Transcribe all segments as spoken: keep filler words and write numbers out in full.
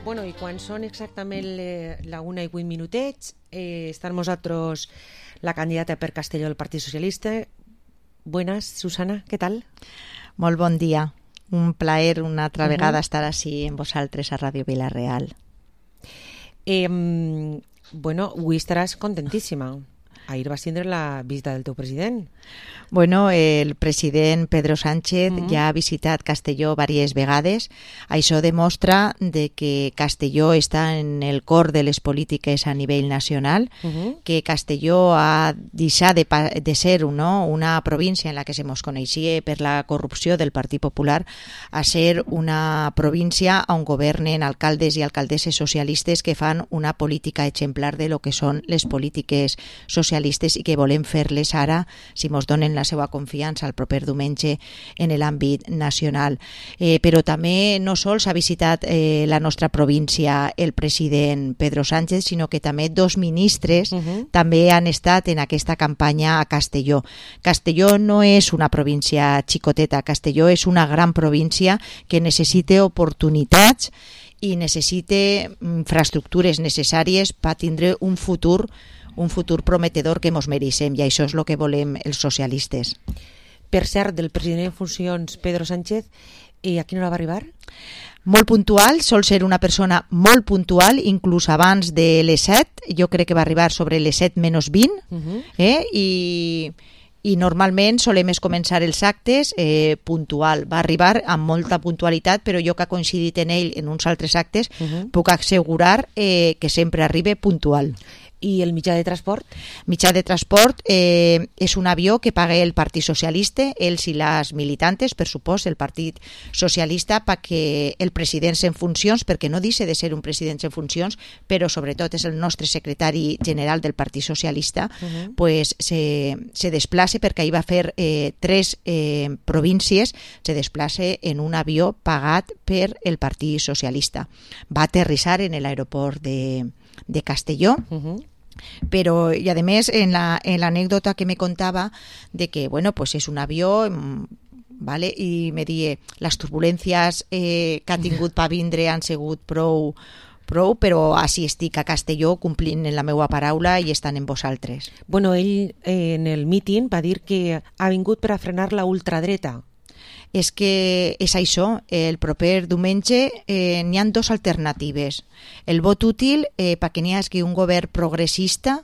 Bueno, i quan són exactament le, la una i vuit minutets, eh, està amb nosaltres la candidata per Castelló del Partit Socialista. Buenas, Susana, què tal? Molt bon dia. Un plaer una altra uh-huh. vegada estar així amb vosaltres a Ràdio Vila-real. Eh, bueno, avui estaràs contentíssima. Ahir vas tindre la visita del teu president. Bueno, el president Pedro Sánchez uh-huh. ja ha visitat Castelló diverses vegades. Això demostra de que Castelló està en el cor de les polítiques a nivell nacional, uh-huh. que Castelló ha deixat de, de ser no, una província en la que se mos coneixia per la corrupció del Partit Popular a ser una província on governen alcaldes i alcaldesses socialistes que fan una política exemplar de lo que són les polítiques socialistes i que volem fer-les ara, si mos donen la seva confiança el proper diumenge en l'àmbit nacional. Eh, però també no sols ha visitat eh, la nostra província el president Pedro Sánchez, sinó que també dos ministres uh-huh. també han estat en aquesta campanya a Castelló. Castelló no és una província xicoteta, Castelló és una gran província que necessita oportunitats i necessita infraestructures necessàries per tindre un futur un futur prometedor que mos mereixem, i això és el que volem els socialistes. Per cert, del president en funcions Pedro Sánchez, i a quina hora va arribar? Molt puntual, sol ser una persona molt puntual, inclús abans de les set, jo crec que va arribar sobre les set menys vint, uh-huh. eh? i... i normalment solem començar els actes eh, puntual. Va arribar amb molta puntualitat, però jo que ha coincidit en ell en uns altres actes, uh-huh. puc assegurar eh, que sempre arriba puntual. I el mitjà de transport? Mitjà de transport eh, és un avió que paga el Partit Socialista, ells i les militantes, per supost, el Partit Socialista, perquè el president en funcions, perquè no deixa de ser un president en funcions, però sobretot és el nostre secretari general del Partit Socialista, uh-huh. pues se, se desplaça, perquè ahir va fer eh, tres eh, províncies, se desplaça en un avió pagat per el Partit Socialista. Va aterrissar en l'aeroport de, de Castelló, uh-huh. pero y además en la en la anécdota que me contaba de que bueno pues es un avión, vale, y me die las turbulencias eh, que ha tingut per vindre han sigut prou prou, però així estic a Castelló complint en la meva paraula i estan en vosaltres. Bueno, ell eh, en el míting va dir que ha vingut per a frenar la ultradreta. És que és això, el proper diumenge eh, n'hi ha dues alternatives. El vot útil eh, perquè n'hi hagi un govern progressista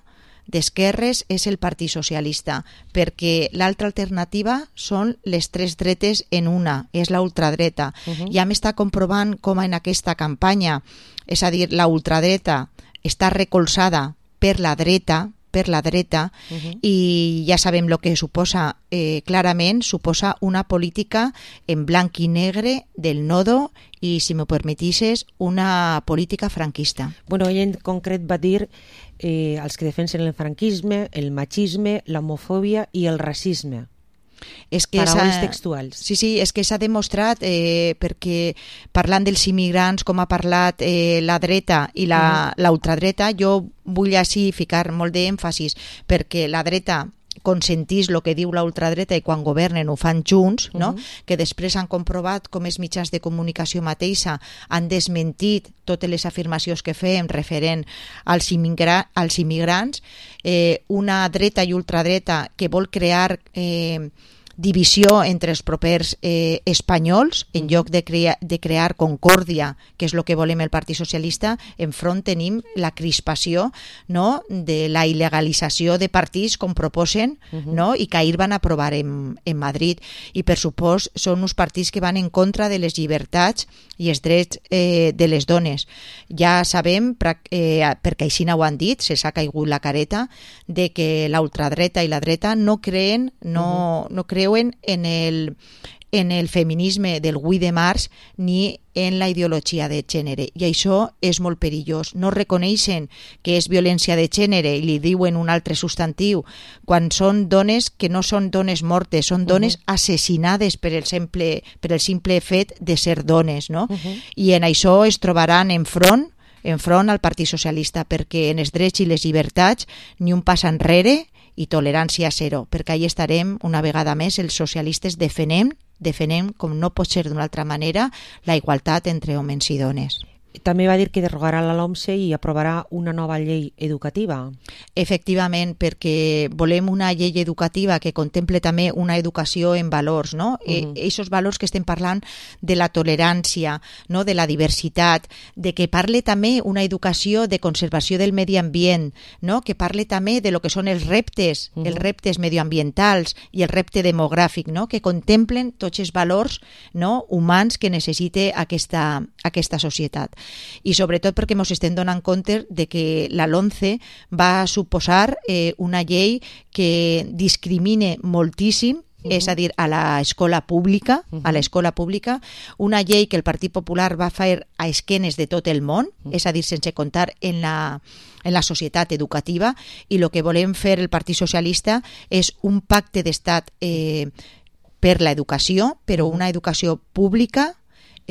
d'esquerres és el Partit Socialista, perquè l'altra alternativa són les tres dretes en una, és la ultradreta. Uh-huh. Ja m'està comprovant com en aquesta campanya, és a dir, la ultradreta està recolzada per la dreta, per la dreta, uh-huh. i ja sabem el que suposa, eh, clarament suposa una política en blanc i negre del nodo i, si m'ho permetisses, una política franquista. Bueno, ell en concret va dir eh, els que defensen el franquisme, el machisme, l'homofòbia i el racisme. És que paraules textuals. Sí, sí, és que s'ha demostrat eh, perquè parlant dels immigrants, com ha parlat eh, la dreta i la, uh-huh. la ultradreta, jo vull així ficar molt d'èmfasis perquè la dreta consentís el que diu la ultradreta i quan governen ho fan junts, no? Uh-huh. Que després han comprovat com els mitjans de comunicació mateixa han desmentit totes les afirmacions que fem referent als, immigra- als immigrants, eh, una dreta i ultradreta que vol crear eh, divisió entre els propers eh, espanyols, en lloc de, crea- de crear concòrdia, que és el que volem el Partit Socialista. Enfront tenim la crispació, no?, de la il·legalització de partits com proposen, uh-huh. no?, i que ahir van aprovar en, en Madrid. I per supost són uns partits que van en contra de les llibertats i els drets eh, de les dones. Ja sabem, eh, perquè així ho han dit, se s'ha caigut la careta, de que la ultradreta i la dreta no creen, no, uh-huh. no creuen en el, en el feminisme del vuit de març ni en la ideologia de gènere, i això és molt perillós. No reconeixen que és violència de gènere i li diuen un altre substantiu quan són dones que no són dones mortes, són dones uh-huh. assassinades per el simple, per el simple fet de ser dones, no? Uh-huh. I en això es trobaran enfront enfront al Partit Socialista, perquè en els drets i les llibertats ni un pas enrere i tolerància zero, perquè ahí estarem una vegada més els socialistes defenem, defenem com no pot ser d'una altra manera la igualtat entre homes i dones. També va dir que derogarà la LOMSE i aprovarà una nova llei educativa. Efectivament, perquè volem una llei educativa que contemple també una educació en valors, no? Uh-huh. E, esos valors que estem parlant de la tolerància, no? De la diversitat, de que parle també una educació de conservació del medi ambient, no? Que parle també de lo que són els reptes, uh-huh. els reptes medioambientals i el repte demogràfic, no? Que contemplen tots els valors, no? Humans que necessite aquesta, aquesta societat. I sobretot perquè ens estem donant compte de que la LOMCE va suposar eh, una llei que discrimine moltíssim, uh-huh. és a dir, a l'escola pública, uh-huh. a l'escola pública, una llei que el Partit Popular va fer a esquenes de tot el món, uh-huh. és a dir, sense comptar en la en la societat educativa, i el que volem fer el Partit Socialista és un pacte d'estat eh, per l'educació, però una educació pública,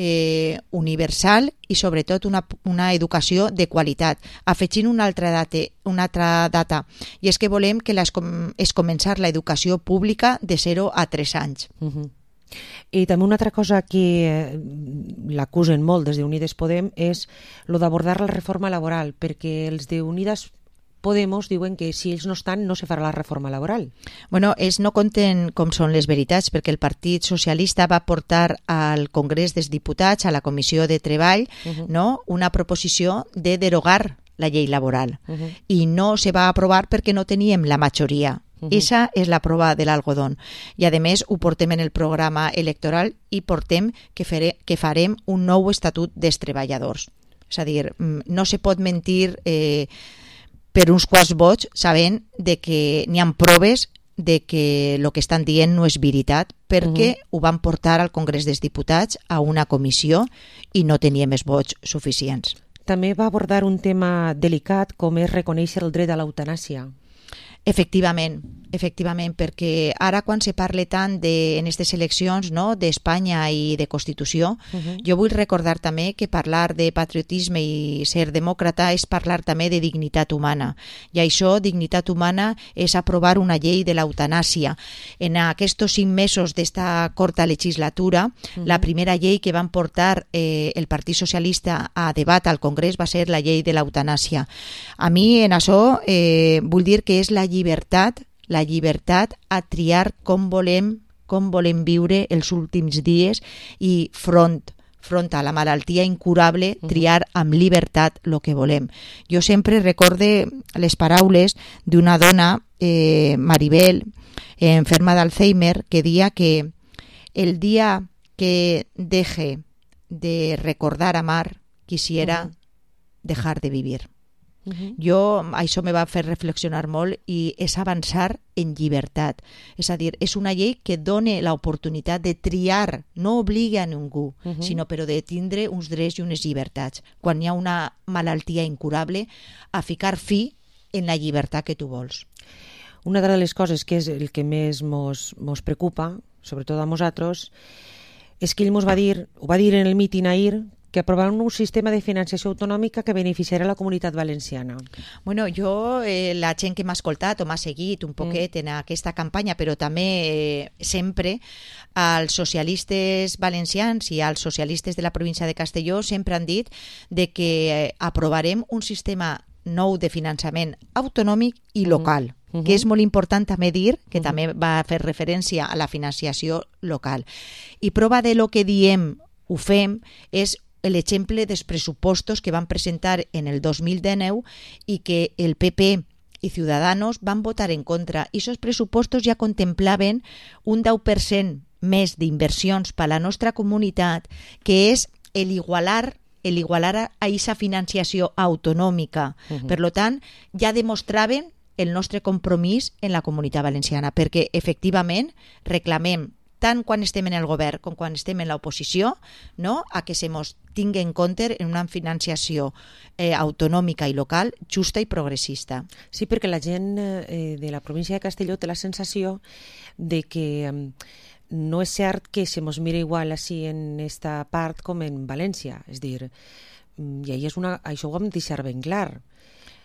Eh, universal i sobretot una, una educació de qualitat. Afegint una altra data, una altra data i és que volem que les, és començar l'educació pública de zero a tres anys. Uh-huh. I també una altra cosa que eh, l'acusen molt des d'Unides Podem és lo d'abordar la reforma laboral, perquè els d'Unides Podemos diuen que si ells no estan no se farà la reforma laboral. Bueno, ells no conten com són les veritats, perquè el Partit Socialista va portar al Congrés dels Diputats, a la Comissió de Treball, uh-huh. no? Una proposició de derogar la llei laboral. Uh-huh. I no se va aprovar perquè no teníem la majoria. Uh-huh. Esa és la prova de l'algodón. I a més ho portem en el programa electoral i portem que, fere, que farem un nou estatut dels treballadors. És a dir, no se pot mentir eh, per uns quants vots, sabent de que n'hi ha proves de que el que estan dient no és veritat, perquè uh-huh. ho van portar al Congrés dels Diputats a una comissió i no teníem els vots suficients. També va abordar un tema delicat com és reconèixer el dret a l'eutanàsia. Efectivament, efectivament, perquè ara quan se parla tant de, en aquestes eleccions, no, d'Espanya i de Constitució, uh-huh. jo vull recordar també que parlar de patriotisme i ser demòcrata és parlar també de dignitat humana. I això, dignitat humana, és aprovar una llei de l'eutanàsia. En aquests cinc mesos d'esta corta legislatura, uh-huh. la primera llei que van portar eh, el Partit Socialista a debat al Congrés va ser la llei de l'eutanàsia. A mi, en això, eh, vull dir que és la llibertat, la llibertat a triar com volem, com volem viure els últims dies i front, front a la malaltia incurable, triar amb llibertat el que volem. Jo sempre recorde les paraules d'una dona, eh, Maribel, eh, enferma d'Alzheimer, que dia que el dia que deje de recordar amar, quisiera uh-huh. dejar de vivir. Uh-huh. Jo, això me va fer reflexionar molt i és avançar en llibertat. És a dir, és una llei que dona l'oportunitat de triar, no obliga a ningú, uh-huh. sinó però de tindre uns drets i unes llibertats. Quan hi ha una malaltia incurable, a ficar fi en la llibertat que tu vols. Una de les coses que és el que més mos, mos preocupa, sobretot a nosaltres, és que ell mos va dir, ho va dir en el míting ahir, que aprovaran un sistema de financiació autonòmica que beneficiarà la comunitat valenciana. Bueno, jo, eh, la gent que m'ha escoltat o m'ha seguit un poquet mm. en aquesta campanya, però també eh, sempre als socialistes valencians i als socialistes de la província de Castelló sempre han dit de que eh, aprovarem un sistema nou de finançament autonòmic i local. Mm. Uh-huh. Que és molt important també dir que uh-huh. també va fer referència a la financiació local. I prova de lo que diem ho fem és l'exemple dels pressupostos que van presentar en el dos mil dinou i que el P P i Ciudadanos van votar en contra. I aquests pressupostos ja contemplaven un deu per cent més d'inversions per a la nostra comunitat, que és l'igualar el igualar a aquesta financiació autonòmica. Uh-huh. Per tant, ja demostraven el nostre compromís en la comunitat valenciana, perquè efectivament reclamem tant quan estem en el govern com quan estem en l'oposició, no? A que se mos tingui en compte en una financiació eh, autonòmica i local justa i progressista. Sí, perquè la gent eh, de la província de Castelló té la sensació de que eh, no és cert que se mos mira igual així en esta part com en València. És dir, i és una, això ho hem de deixar ben clar.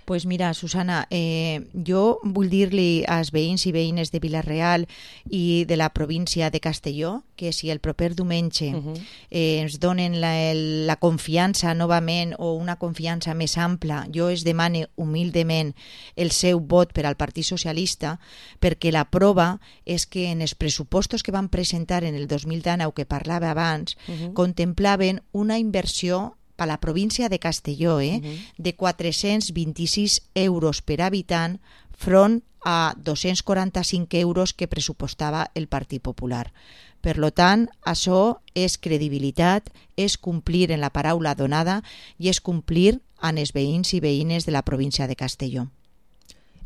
Pues mira, Susana, eh, jo vull dir-li als veïns i veïnes de Vila-real i de la província de Castelló que si el proper diumenge uh -huh. eh, ens donen la, el, la confiança novament o una confiança més ampla, jo es demane humilment el seu vot per al Partit Socialista, perquè la prova és que en els pressupostos que van presentar en el dos mil dinou, que parlava abans, uh -huh. contemplaven una inversió per a la província de Castelló eh, uh -huh. de quatre-cents vint-i-sis euros per habitant front a dos-cents quaranta-cinc euros que pressupostava el Partit Popular. Per lo tant, això és credibilitat, és complir en la paraula donada i és complir amb els veïns i veïnes de la província de Castelló.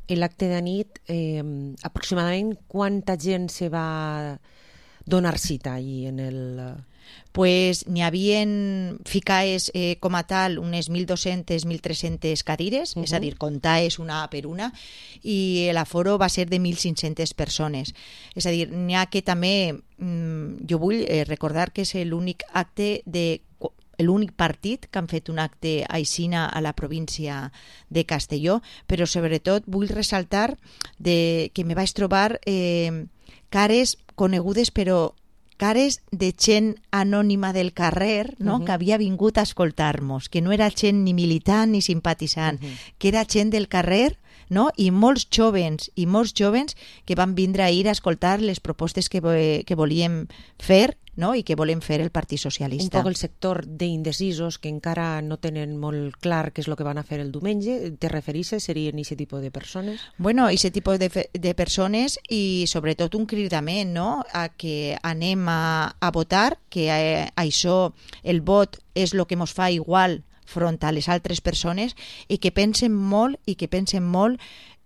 En l'acte de nit, eh, aproximadament quanta gent se va donar cita allí en el... Pues n'hi havien ficaes eh, com a tal unes mil dos-centes a mil tres-centes cadires, uh -huh. és a dir, comptaes una per una, i l'aforo va ser de mil cinc-centes persones. És a dir, n'hi ha que també, mm, jo vull eh, recordar que és l'únic acte de l'únic partit que han fet un acte aixina a la província de Castelló, però sobretot vull ressaltar de, que me vaig trobar eh, cares conegudes però cares de gent anònima del carrer, no? Uh-huh. que havia vingut a escoltar-nos, que no era gent ni militant ni simpatitzant, uh-huh. que era gent del carrer, no? I molts jovens i molts jovens que van vindre a ir a escoltar les propostes que, que volíem fer, no? I que volem fer el Partit Socialista. Un poc el sector d'indecisos que encara no tenen molt clar què és el que van a fer el diumenge. Te referisses? Serien aquest tipus de persones? Bueno, aquest tipus de, de persones i sobretot un cridament, no? A que anem a, a votar, que eh, això, el vot és el que ens fa igual front a les altres persones i que pensen molt i que pensen molt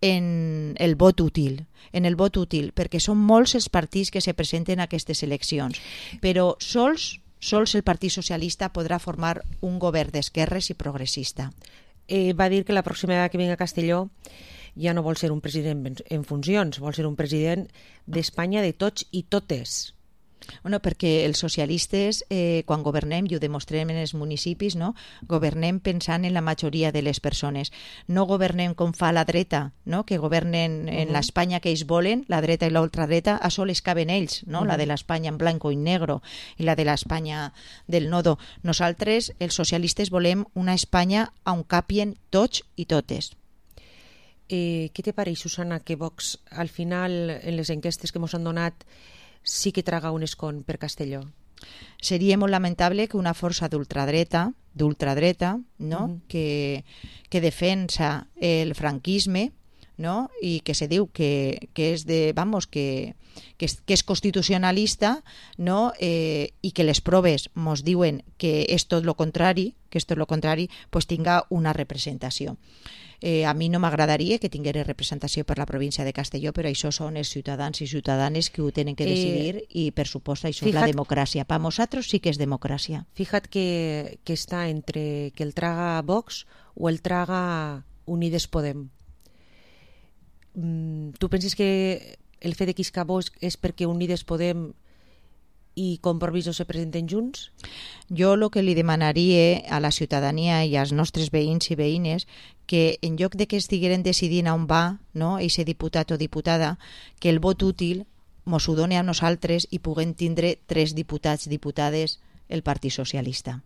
en el vot útil, en el vot útil, perquè són molts els partits que se presenten a aquestes eleccions, però sols, sols el Partit Socialista podrà formar un govern d'esquerres i progressista. Eh, va dir que la pròxima vegada que vinga a Castelló ja no vol ser un president en funcions, vol ser un president d'Espanya de tots i totes. Bueno, perquè els socialistes, eh, quan governem, i ho demostrem en els municipis, no? governem pensant en la majoria de les persones. No governem com fa la dreta, no? que governen en uh-huh. l'Espanya que ells volen, la dreta i l'ultradreta, a sols caben ells, no? uh-huh. la de l'Espanya en blanco i negro i la de l'Espanya del nodo. Nosaltres, els socialistes, volem una Espanya on capien tots i totes. Eh, què te pareix, Susana, que Vox, al final, en les enquestes que ens han donat, sí que traga un escon per Castelló? Seria molt lamentable que una força d'ultradreta, d'ultradreta, no? Uh-huh. que, que defensa el franquisme, no? i que se diu que, que és de, vamos, que, que, és, que és constitucionalista, no? eh, i que les proves mos diuen que és tot lo contrari, que és tot lo contrari, pues tinga una representació. Eh, a mi no m'agradaria que tingués representació per la província de Castelló, però això són els ciutadans i ciutadanes que ho tenen que decidir eh, i, per supost, això és la democràcia. Per nosaltres sí que és democràcia. Fíjate que, que està entre que el traga Vox o el traga Unides Podem. Mm, tu penses que el fet de quiscar Vox és perquè Unides Podem i Compromís no se presenten junts? Jo el que li demanaria a la ciutadania i als nostres veïns i veïnes que en lloc de que estigueren decidint on va, no, eixe diputat o diputada, que el vot útil mos ho doni a nosaltres i puguem tindre tres diputats, diputades, el Partit Socialista.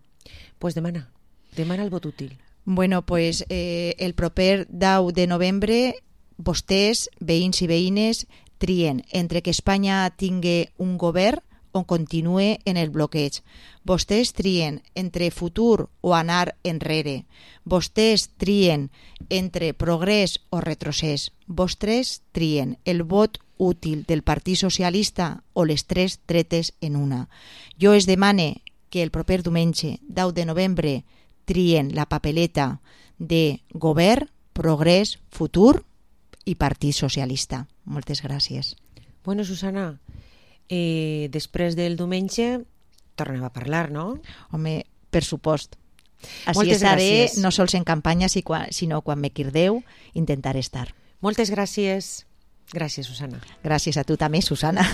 Pues demana, demana el vot útil. Bueno, pues eh, el proper deu de novembre vostès, veïns i veïnes, trien entre que Espanya tingui un govern o continue en el bloqueig. Vostès trien entre futur o anar enrere. Vostès trien entre progrés o retrocés. Vostès trien el vot útil del Partit Socialista o les tres tretes en una. Jo es demane que el proper diumenge, deu de novembre, trien la papeleta de govern, progrés, futur i Partit Socialista. Moltes gràcies. Bueno, Susana, Eh, després del diumenge tornem a parlar, no? Home, per supost. Així Moltes estaré, gràcies. no sols en campanya, sinó quan me crideu, intentaré estar. Moltes gràcies. Gràcies, Susana. Gràcies a tu també, Susana.